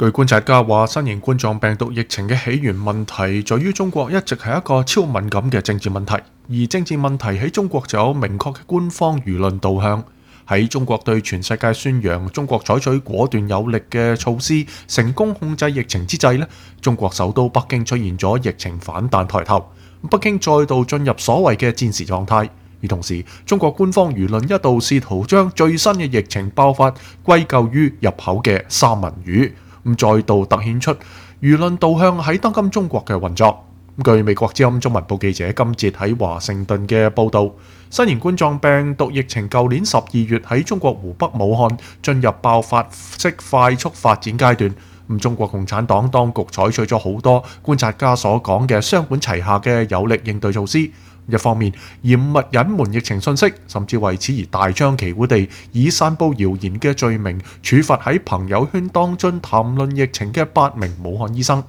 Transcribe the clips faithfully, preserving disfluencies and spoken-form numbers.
據觀察家話，新型冠狀病毒疫情嘅起源問題在於中國一直係一個超敏感嘅政治問題，而政治問題喺中國就有明確嘅官方輿論導向。喺中國對全世界宣揚中國採取果斷有力嘅措施，成功控制疫情之際呢，中國首都北京出現咗疫情反彈抬頭，北京再度進入所謂嘅戰時狀態。而同時，中國官方輿論一度試圖將最新嘅疫情爆發歸咎於入口嘅三文魚。咁再度突顯出輿論導向喺當今中國嘅運作。據美國之音中文部記者金哲喺華盛頓嘅報導，新型冠狀病毒疫情舊年十二月喺中國湖北武漢進入爆發式快速發展階段。咁中國共產黨當局採取咗好多觀察家所講嘅雙管齊下嘅有力應對措施。一方面嚴密隱瞞疫情信息，甚至為此而大張旗鼓地以散佈謠言嘅罪名處罰喺朋友圈當中談論疫情嘅八名武漢醫生；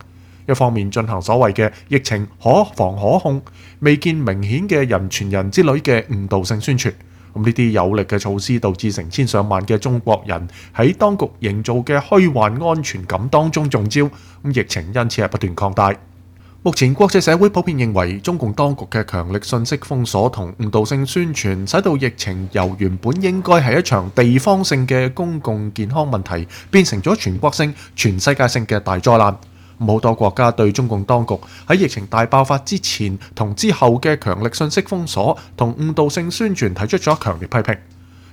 一方面進行所謂嘅疫情可防可控、未見明顯嘅人傳人之類嘅誤導性宣傳。咁呢啲有力嘅措施導致成千上萬嘅中國人喺當局營造嘅虛幻安全感當中中招，咁疫情因此係不斷擴大。目前國際社會普遍認為，中共當局嘅強力信息封鎖同誤導性宣傳，使到疫情由原本應該係一場地方性嘅公共健康問題，變成咗全國性、全世界性嘅大災難。好多國家對中共當局喺疫情大爆發之前同之後嘅強力信息封鎖同誤導性宣傳提出咗強烈批評。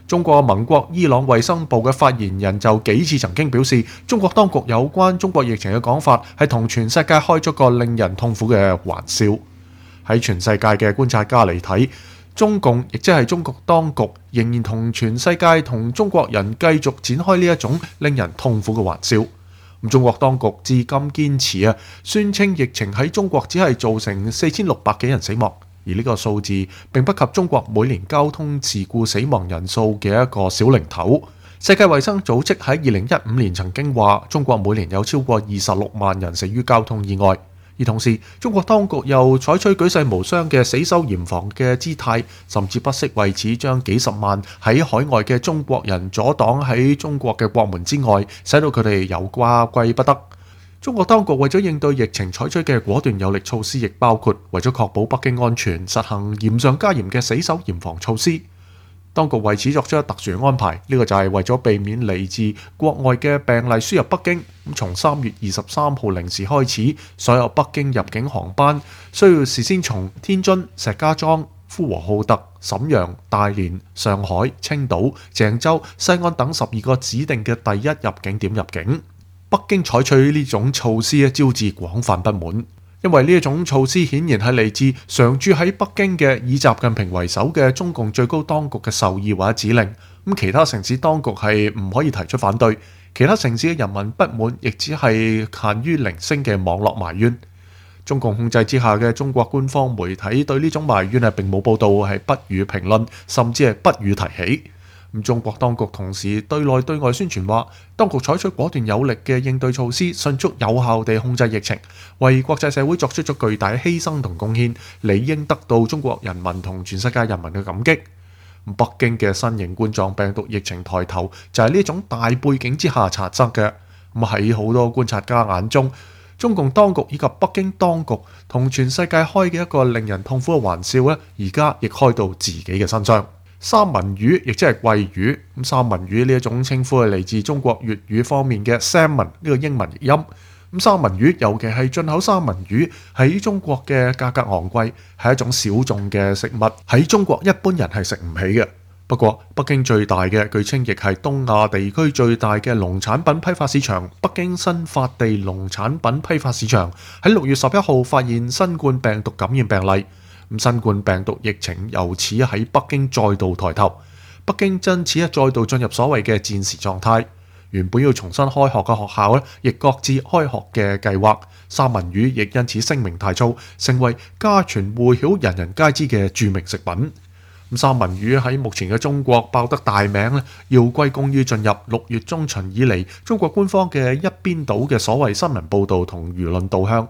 中國盟國伊朗衛生部嘅發言人就幾次曾經表示，中國當局有關中國疫情嘅講法係同全世界開咗個令人痛苦嘅玩笑。喺全世界嘅觀察家嚟睇，中共亦即係中國當局仍然同全世界同中國人繼續展開呢一種令人痛苦嘅玩笑。咁中國當局至今堅持啊，宣稱疫情喺中國只係造成四千六百幾人死亡。而呢個數字並不及中國每年交通事故死亡人數嘅一個小零頭。世界衛生組織喺二零一五年曾經話，中國每年有超過二十六萬人死於交通意外。而同時，中國當局又採取舉世無雙嘅死守嚴防嘅姿態，甚至不惜為此將幾十萬喺海外嘅中國人阻擋喺中國嘅國門之外，使到佢哋有家歸不得。中國當局為咗應對疫情採取嘅果斷有力措施，亦包括為咗確保北京安全，實行嚴上加嚴嘅死守嚴防措施。當局為此作出特殊安排，呢、這個就係為咗避免嚟自國外嘅病例輸入北京。咁從三月二十三號零時開始，所有北京入境航班需要事先從天津、石家莊、呼和浩特、瀋陽、大連、上海、青島、鄭州、西安等十二個指定嘅第一入境點入境。北京採取呢種措施招致廣泛不滿，因為呢一種措施顯然係嚟自常駐喺北京嘅以習近平為首嘅中共最高當局嘅授意或者指令。咁其他城市當局係唔可以提出反對，其他城市嘅人民不滿亦只係限於零星嘅網絡埋怨。中共控制之下嘅中國官方媒體對呢種埋怨係並冇報導，係不予評論，甚至係不予提起。咁中國當局同時對內對外宣傳話，當局採取果斷有力嘅應對措施，迅速有效地控制疫情，為國際社會作出咗巨大嘅犧牲同貢獻，理應得到中國人民同全世界人民嘅感激。北京嘅新型冠狀病毒疫情抬頭就係呢種大背景之下產生嘅。咁喺好多觀察家眼中，中共當局以及北京當局同全世界開嘅一個令人痛苦嘅玩笑咧，而家亦開到自己嘅身上。三文魚亦即係鮭魚，咁三文魚呢一種稱呼係嚟自中國粵語方面嘅 salmon 呢個英文譯音。咁三文魚尤其係進口三文魚喺中國嘅價格昂貴，係一種小眾嘅食物，喺中國一般人係食唔起嘅。不過北京最大嘅，據稱亦係東亞地區最大嘅農產品批發市場——北京新發地農產品批發市場喺六月十一號發現新冠病毒感染病例。咁新冠病毒疫情由此喺北京再度抬頭，北京因此再度進入所謂嘅戰時狀態。原本要重新開學嘅學校咧，亦各自開學嘅計劃。三文魚亦因此聲名大噪，成為家傳戶曉、人人皆知嘅著名食品。咁三文魚喺目前嘅中國爆得大名咧，要歸功於進入六月中旬以嚟，中國官方嘅一邊倒嘅所謂新聞報導同輿論導向。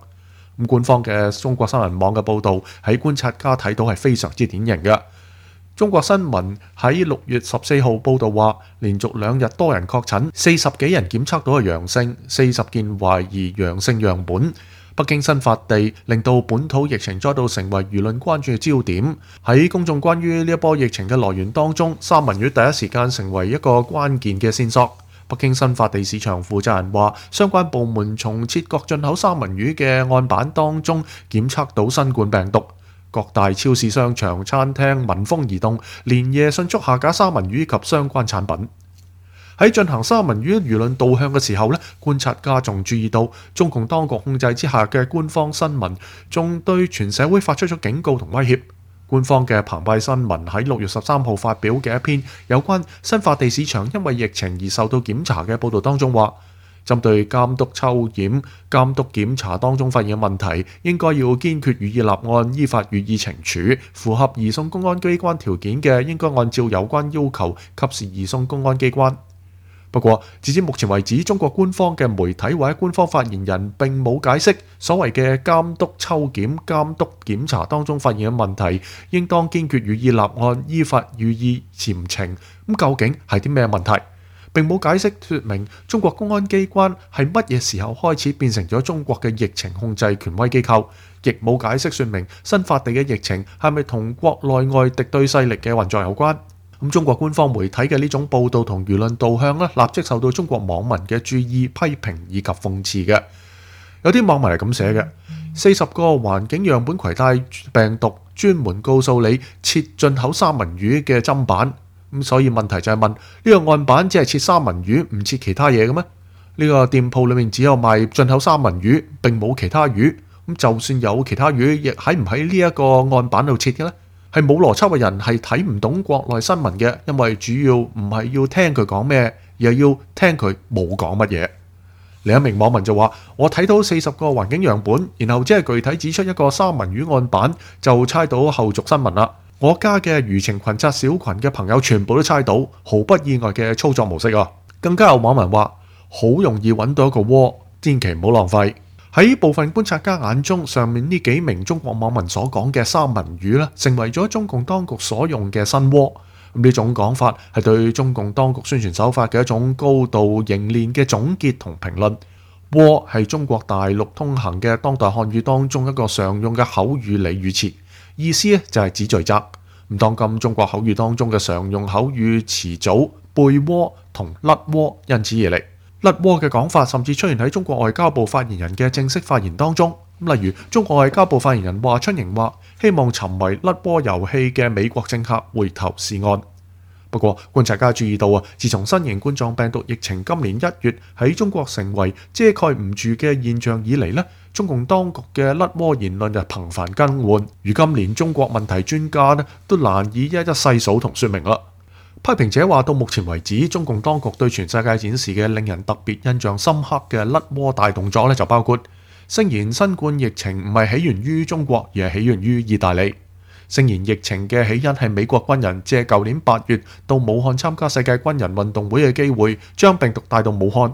咁官方嘅中國新聞網嘅報導喺觀察家睇到係非常之典型嘅。中國新聞喺六月十四號報導話，連續兩日多人確診，四十幾人檢測到係陽性，四十件懷疑陽性樣本。北京新發地令到本土疫情再度成為輿論關注嘅焦點。喺公眾關於呢一波疫情嘅來源當中，三文魚第一時間成為一個關鍵嘅線索。北京新發地市場負責人話，相關部門從切割進口三文魚嘅案板當中檢測到新冠病毒。各大超市、商場、餐廳聞風而動，連夜迅速下架三文魚及相關產品。喺進行三文魚輿論導向嘅時候呢，觀察家仲注意到，中共當局控制之下嘅官方新聞仲對全社會發出咗警告同威脅。官方嘅澎湃新聞喺六月十三號發表嘅一篇有關新發地市場因為疫情而受到檢查嘅報導當中話，針對監督抽檢、監督檢查當中發現嘅問題，應該要堅決予以立案，依法予以懲處。符合移送公安機關條件嘅，應該按照有關要求，及時移送公安機關。不過，截至目前為止，中國官方嘅媒體或者官方發言人並冇解釋所謂嘅監督抽檢、監督檢查當中發現嘅問題，應當堅決予以立案，依法予以嚴懲。咁究竟係啲咩問題？並冇解釋説明中國公安機關係乜嘢時候開始變成咗中國嘅疫情控制權威機構，亦冇解釋説明新發地嘅疫情係咪同國內外敵對勢力嘅運作有關。咁中國官方媒體嘅呢種報導同輿論導向呢，立即受到中國網民嘅注意、批評以及諷刺嘅。有啲網民係咁寫嘅：四十個環境樣本攜帶病毒，專門告訴你切進口三文魚嘅砧板。咁所以問題就係問，呢個案板只係切三文魚，唔切其他嘢嘅咩？呢個店鋪裏面只有賣進口三文魚，並冇其他魚。咁就算有其他魚，亦喺唔喺呢一個案板度切嘅呢？係冇邏輯嘅人係睇唔懂國內新聞嘅，因為主要唔係要聽佢講咩，而係要聽佢冇講乜嘢。另一名網民就話：我睇到四十個環境樣本，然後只係具體指出一個三文魚案板，就猜到後續新聞啦。我家嘅輿情群策小群嘅朋友全部都猜到，毫不意外嘅操作模式啊！更加有網民話：好容易揾到一個窩，千祈唔好浪費。喺部分觀察家眼中，上面呢幾名中國網民所講嘅三文魚咧，成為咗中共當局所用嘅新窩。咁呢種講法係對中共當局宣傳手法嘅一種高度凝練嘅總結同評論。窩係中國大陸通行嘅當代漢語當中一個常用嘅口語俚語詞，意思咧就係指罪責。咁當今中國口語當中嘅常用口語詞組背窩同甩窩因此而嚟。甩窩嘅講法甚至出現喺中國外交部發言人嘅正式發言當中。例如，中國外交部發言人華春瑩話：希望沉迷甩窩遊戲嘅美國政客回頭是岸。不過，觀察家注意到啊，自從新型冠狀病毒疫情今年一月喺中國成為遮蓋唔住嘅現象以嚟呢，中共當局嘅甩窩言論就頻繁更換。如今連中國問題專家呢都難以一一細數同說明啦。批評者話，到目前為止，中共當局對全世界展示嘅令人特別印象深刻嘅甩窩大動作呢，就包括聲言新冠疫情唔係起源於中國，而係起源於意大利；聲言疫情嘅起因係美國軍人借舊年八月到武漢參加世界軍人運動會嘅機會，將病毒帶到武漢；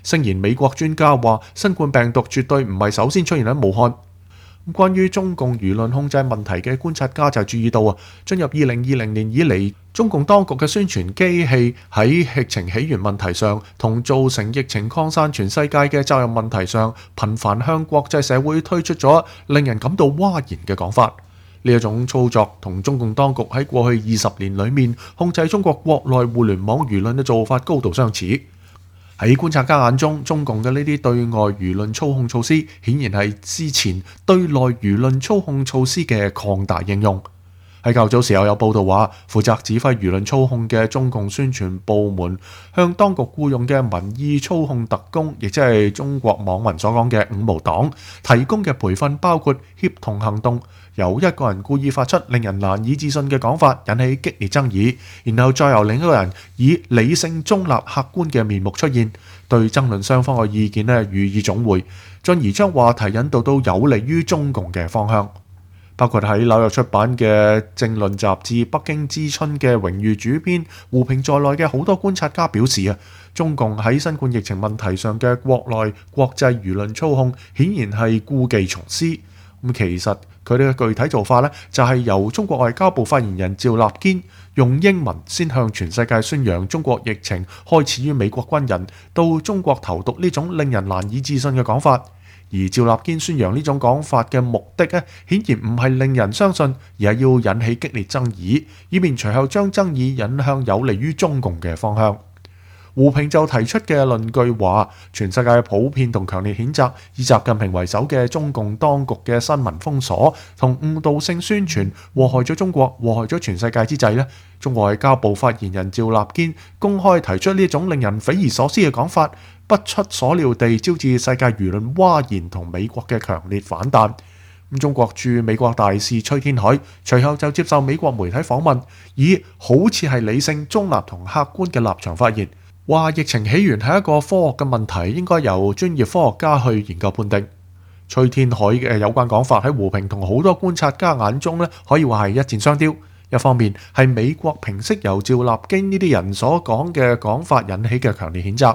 聲言美國專家話，新冠病毒絕對唔係首先出現喺武漢。關於中共輿論控制問題嘅觀察家就注意到啊，進入二零二零年以嚟，中共當局嘅宣傳機器喺疫情起源問題上同造成疫情擴散全世界嘅責任問題上，頻繁向國際社會推出咗令人感到嘩然嘅講法。呢一種操作同中共當局喺過去二十年裏面控制中國國內互聯網輿論嘅做法高度相似。喺觀察家眼中，中共嘅呢啲對外輿論操控措施，顯然係之前對內輿論操控措施嘅擴大應用。喺較早時候有報道話，負責指揮輿論操控嘅中共宣傳部門向當局僱用嘅民意操控特工，亦即係中國網民所講嘅五毛黨，提供嘅培訓包括協同行動，由一個人故意發出令人難以置信嘅講法，引起激烈爭議，然後再由另一個人以理性中立客觀嘅面目出現，對爭論雙方嘅意見咧予以總匯，進而將話題引導到有利於中共嘅方向。包括喺紐約出版嘅政論雜誌《北京之春》嘅榮譽主編胡平在內嘅好多觀察家表示啊，中共喺新冠疫情問題上嘅國內國際輿論操控，顯然係故技重施。咁其實佢哋嘅具體做法呢，就係由中國外交部發言人趙立堅用英文先向全世界宣揚中國疫情開始於美國軍人到中國投毒呢種令人難以置信嘅講法。而趙立堅宣揚呢種講法嘅目的呢，顯然唔係令人相信，而係要引起激烈爭議，以便隨後將爭議引向有利於中共嘅方向。胡平就提出嘅論據話，全世界普遍同強烈譴責以習近平為首嘅中共當局嘅新聞封鎖同誤導性宣傳，禍害咗中國，禍害咗全世界之際呢，中國外交部發言人趙立堅公開提出呢種令人匪夷所思嘅講法，不出所料地招致世界輿論譁然同美國嘅強烈反彈。咁中國駐美國大使崔天凱隨後就接受美國媒體訪問，以好似係理性、中立同客觀嘅立場發言，話疫情起源係一個科學嘅問題，應該由專業科學家去研究判定。崔天凱嘅有關講法喺胡平同好多觀察家眼中咧，可以話係一箭雙雕。一方面係美國平息由趙立堅呢啲人所講嘅講法引起嘅強烈譴責，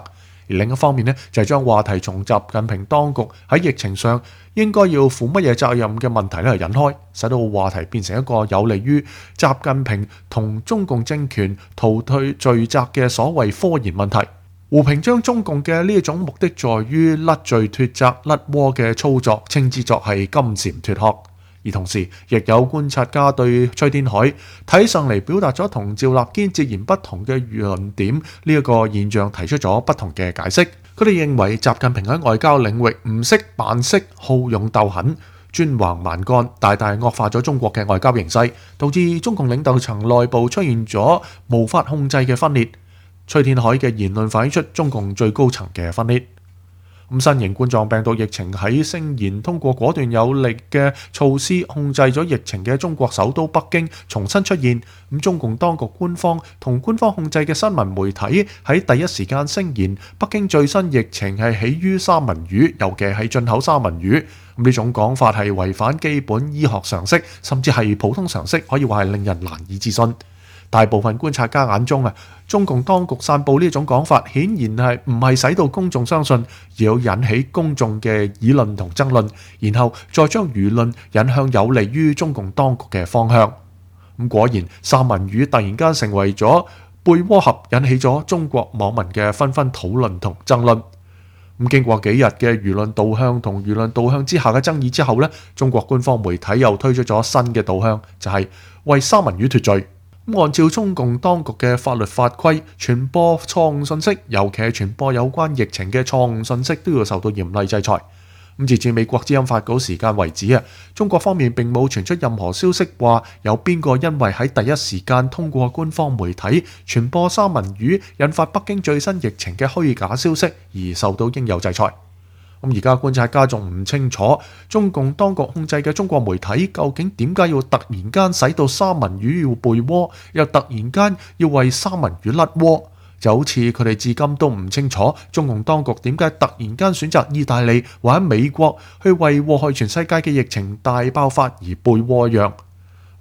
而另一方面呢，就係將話題從習近平當局喺疫情上應該要負乜嘢責任嘅問題咧引開，使到話題變成一個有利於習近平同中共政權逃退罪責嘅所謂科研問題。胡平將中共嘅呢一種目的在於甩罪脫責甩鍋嘅操作稱之作係金蟬脫殼。而同時，亦有觀察家對崔天凱睇上嚟表達咗同趙立堅截然不同嘅論點呢一個現象提出咗不同嘅解釋。佢哋認為習近平喺外交領域唔識扮識，好勇鬥狠，專橫蠻幹，大大惡化咗中國嘅外交形勢，導致中共領導層內部出現咗無法控制嘅分裂。崔天凱嘅言論反映出中共最高層嘅分裂。咁新型冠狀病毒疫情喺聲言通過果斷有力嘅措施控制咗疫情嘅中國首都北京重新出現。咁中共當局官方同官方控制嘅新聞媒體喺第一時間聲言北京最新疫情係起於三文魚，尤其係進口三文魚。咁呢種講法係違反基本醫學常識，甚至係普通常識，可以話係令人難以置信。大部分觀察家眼中啊，中共當局散佈呢種講法，顯然係唔係使到公眾相信，而要引起公眾嘅議論同爭論，然後再將輿論引向有利於中共當局嘅方向。咁果然，三文魚突然間成為咗貝窩盒，引起咗中國網民嘅紛紛討論同爭論。咁經過幾日嘅輿論導向同輿論導向之下嘅爭議之後呢，中國官方媒體又推出咗新嘅導向，就係為三文魚脫罪。按照中共當局嘅法律法規，傳播錯誤信息，尤其係傳播有關疫情嘅錯誤信息，都要受到嚴厲制裁。咁截至美國之音發稿時間為止啊，中國方面並冇傳出任何消息話有邊個因為喺第一時間通過官方媒體傳播三文魚引發北京最新疫情嘅虛假消息而受到應有制裁。咁而家觀察家仲唔清楚中共當局控制嘅中國媒體究竟點解要突然間使到三文魚要背鍋，又突然間要為三文魚甩鍋，就好似佢哋至今都唔清楚中共當局點解突然間選擇意大利或者美國去為禍害全世界嘅疫情大爆發而背鍋一樣。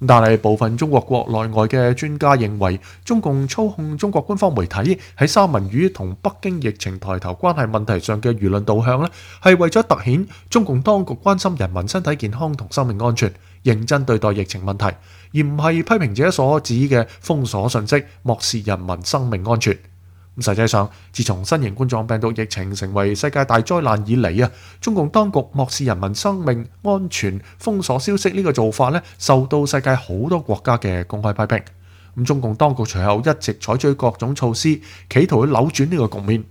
但係部分中國國內外嘅專家認為，中共操控中國官方媒體喺三文魚同北京疫情抬頭關係問題上嘅輿論導向呢，係為咗凸顯中共當局關心人民身體健康同生命安全，認真對待疫情問題，而唔係批評者所指嘅封鎖信息，漠視人民生命安全。咁實際上，自從新型冠狀病毒疫情成為世界大災難以嚟啊，中共當局漠視人民生命安全、封鎖消息呢個做法咧，受到世界好多國家嘅公開批評。咁中共當局隨後一直採取各種措施，企圖去扭轉呢個局面。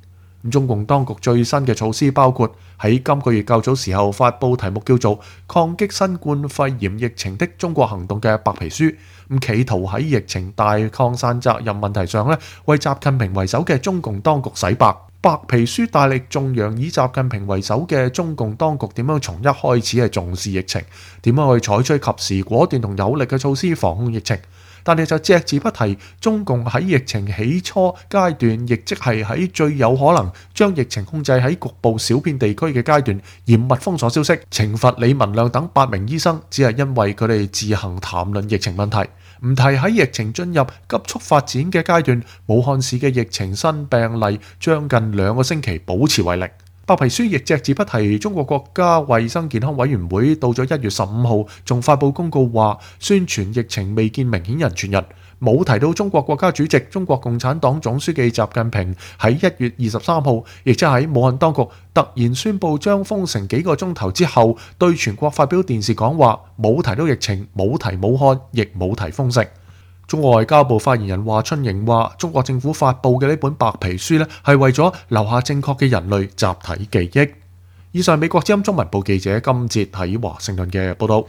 咁中共當局最新嘅措施包括喺今個月較早時候發布題目叫做《抗擊新冠肺炎疫情的中國行動》嘅白皮書，咁企圖喺疫情大擴散責任問題上咧，為習近平為首嘅中共當局洗白。白皮書大力頌揚以習近平為首嘅中共當局點樣從一開始係重視疫情，點樣去採取及時果斷同有力嘅措施防控疫情。但係就隻字不提中共喺疫情起初階段，亦即係喺最有可能將疫情控制喺局部小片地區嘅階段，嚴密封鎖消息，懲罰李文亮等八名醫生，只係因為佢哋自行談論疫情問題，唔提喺疫情進入急速發展嘅階段，武漢市嘅疫情新病例將近兩個星期保持為零。白皮書亦隻字不提中國國家衛生健康委員會到咗一月十五號仲發佈公告話，宣傳疫情未見明顯人傳人，冇提到中國國家主席、中國共產黨總書記習近平喺一月二十三號，亦即喺武漢當局突然宣布將封城幾個鐘頭之後，對全國發表電視講話，冇提到疫情，冇提武漢，亦冇提封城。中國外交部發言人華春瑩話：中國政府發布嘅呢本白皮書呢，係為咗留下正確嘅人類集體記憶。以上美國之音中文部記者金哲喺華盛頓嘅報道。